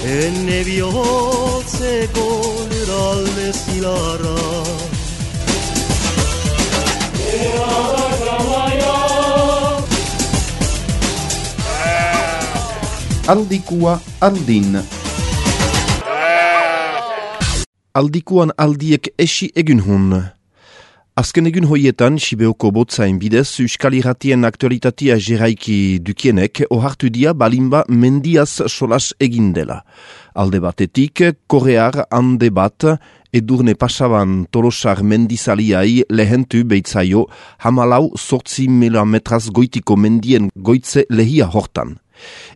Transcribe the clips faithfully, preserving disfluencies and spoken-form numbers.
Enne bihotzeko lurralde zilarra Aldikua aldin. Aldikuan aldiek esi egun hun. Azken egun hoietan, Sibeoko botzain bidez, Euskal Irratien aktualitatea jeraiki dukienek, ohartu dia balimba mendiaz solas egindela. Alde batetik, korear hande bat, edurne pasaban Tolosar mendizaliai lehentu beitzaio, hamalau sortzi mila metraz goitiko mendien goitze lehia hortan.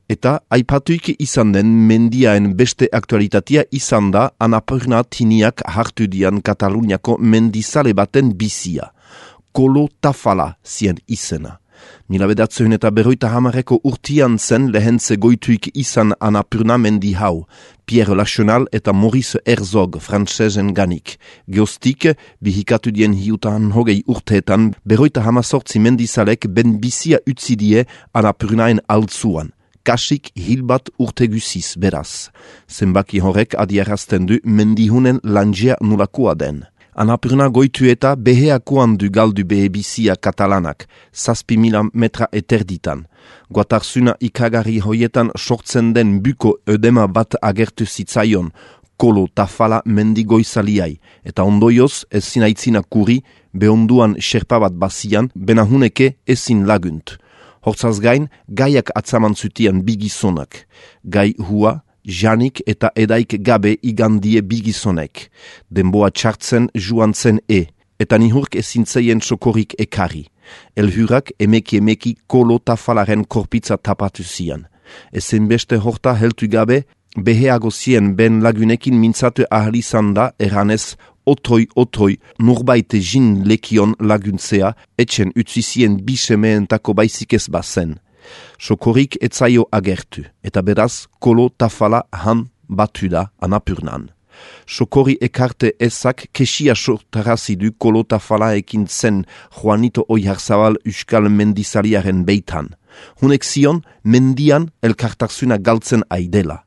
Eta aipatuik izan den mendiaen beste aktualitatea izan da Annapurna tiniak hartu dian Kataluniako mendizale baten bizia. Kolo Tafala zien izena. Mila bedatzehun eta berroita hamareko urtian zen lehentze goituik izan Annapurna mendi hau. Pierre Lachenal eta Maurice Herzog frantsezen ganik. Geostik, bihikatu dien hiutan hogei urteetan, berroita hamazortzi mendizalek ben bizia utzidie Annapurnaen altzuan. Kasik hilbat urte guziz beraz. Zenbaki horrek adierazten du mendihunen lanjea nulakoa den. Annapurna goitu eta beheakoan du galdu behe bizia katalanak, zazpi mila metra eterditan. Guatarzuna ikagarri hoietan sortzen den buko ödema bat agertu zitzaion, Kolo Tafala mendigoizaliai, eta ondoioz ezin aitzina kuri, behonduan xerpa bat bazian, benahuneke ezin lagunt. Hortzaz gain, gaiak atzaman zutian bigizonak. Gai hua, janik eta edaik gabe igandie bigizonek. Denboa txartzen juan zen e, eta nihurk ezintzeien sokorik ekari. Elhurak emeki emeki Kolo Tafalaren korpitza tapatu zian. Ezen beste horta heltu gabe, beheago zien ben lagunekin mintzatu ahalizan da eranez Otroi, otroi, nurbaite jin lekion laguntzea, etxen utzizien bisemeentako baizik ez bazen. Sokorik etzaio agertu, eta beraz, Kolo Tafala han batu da Annapurnan. Sokori ekarte ezak kesia sortarazidu Kolo Tafala ekin zen Juanito Oiharzabal Euskal mendizaliaren beitan. Hunek zion, mendian elkartarzuna galtzen aidela.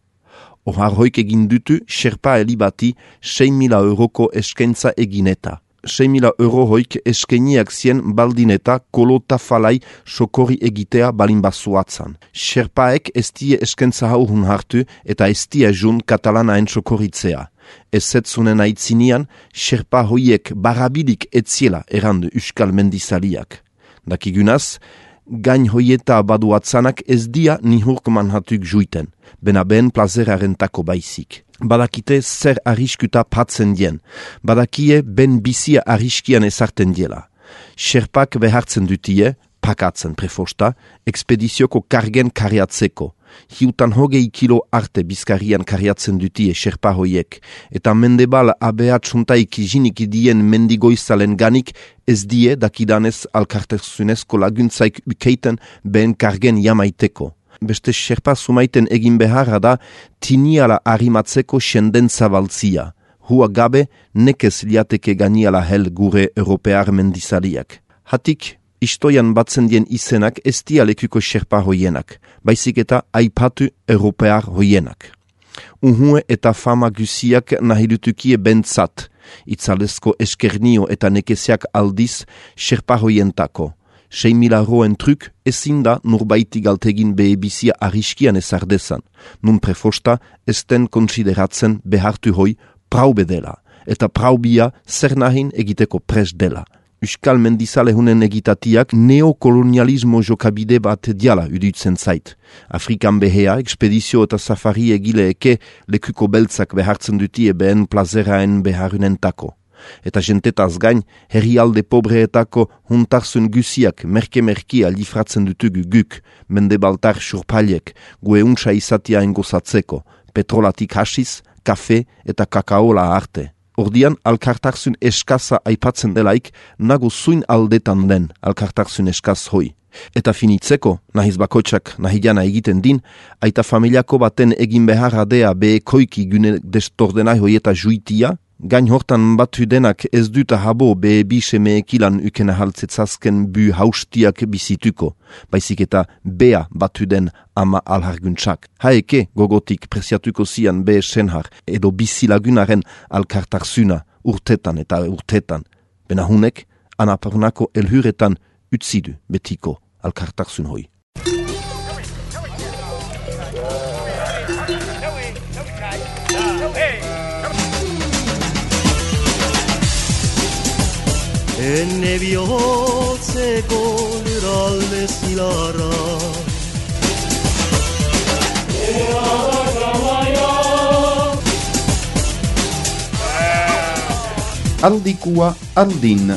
Ohar hoik egin dutu, xerpa elibati, sei mila euroko eskaintza egineta. sei mila euro hoik eskainiak zien baldineta Kolo Tafalai sokori egitea balin bazuatzan. Xerpaek ez die eskaintza hau hun hartu eta ez die jun katalanaen sokoritzea. Ez zetzunen aitzinian, xerpa hoiek barabilik etziela errandu Euskal mendizaliak. Dakigunaz, gain hoieta baduatzanak ez dia nihurk manhatuk juiten, bena ben plazeraren tako baizik. Badakite zer arriskuta patzen dien, badakie ben bizia arriskian ezarten diela. Xerpak behartzen dutie, pakatzen prefosta, ekspedizioko kargen kariatzeko. Hiutan hogei kilo arte bizkarian kariatzen dutie xerpa hoiek, eta mendebal abeat suntaik jinik dien mendigoizalen ganik ez die dakidanez alkarterzunezko laguntzaik ukeiten behen kargen jamaiteko. Beste xerpa sumaiten egin beharra da tiniala arimatzeko senden zabaltzia. Hua gabe nekez liateke ganiala hel gure europear mendizaliak. Hatik, istoian batzen dien izenak ez dia lekuko xerpa hoienak, baizik eta aipatu europear hoienak. Unhue eta fama guziak nahidutukie bentzat, itzalezko eskernio eta nekeziak aldiz xerpa hoientako. sei mila roen truk ezin da nurbaiti galtegin behe bizia arriskian ezardezan, nun prefosta esten konsideratzen behartu hoi praube dela, eta praubia zer nahin egiteko pres dela. Euskal mendizalehunen egitatiak neokolonialismo jokabide bat diala udutzen zait. Afrikan behea, ekspedizio eta safari egileeke lekuko beltzak behartzen dutie behen plazeraen beharunentako. Eta jentetaz gain, herrialde pobreetako huntarzun guziak merke-merkia lifratzen dutugu guk, mendebaltar surpaliek, gue untsa izatia engozatzeko, petrolatik hasiz, kafe eta kakaola arte. Ordian, alkartarzun eskaza aipatzen delaik, nago zuin aldetan den alkartarzun eskaz hoi. Eta finitzeko, nahiz bakotxak nahidiana egiten din, aita familiako baten egin beharra dea behe koiki gune destordenai hoieta juitia, gain hortan batu denak ez dut habo be bi seme ekilan ukena haltzetzazken bu haustiak bizituko, baizik eta bea batu den ama alharguntsak. Haeke gogotik presiatuko zian be senhar edo bizilagunaren alkartarzuna urtetan eta urtetan. Bena hunek, anaparunako elhuretan utzidu betiko alkartarzun hoi. Enne bihotzeko luralde zilarra Aldikua aldin.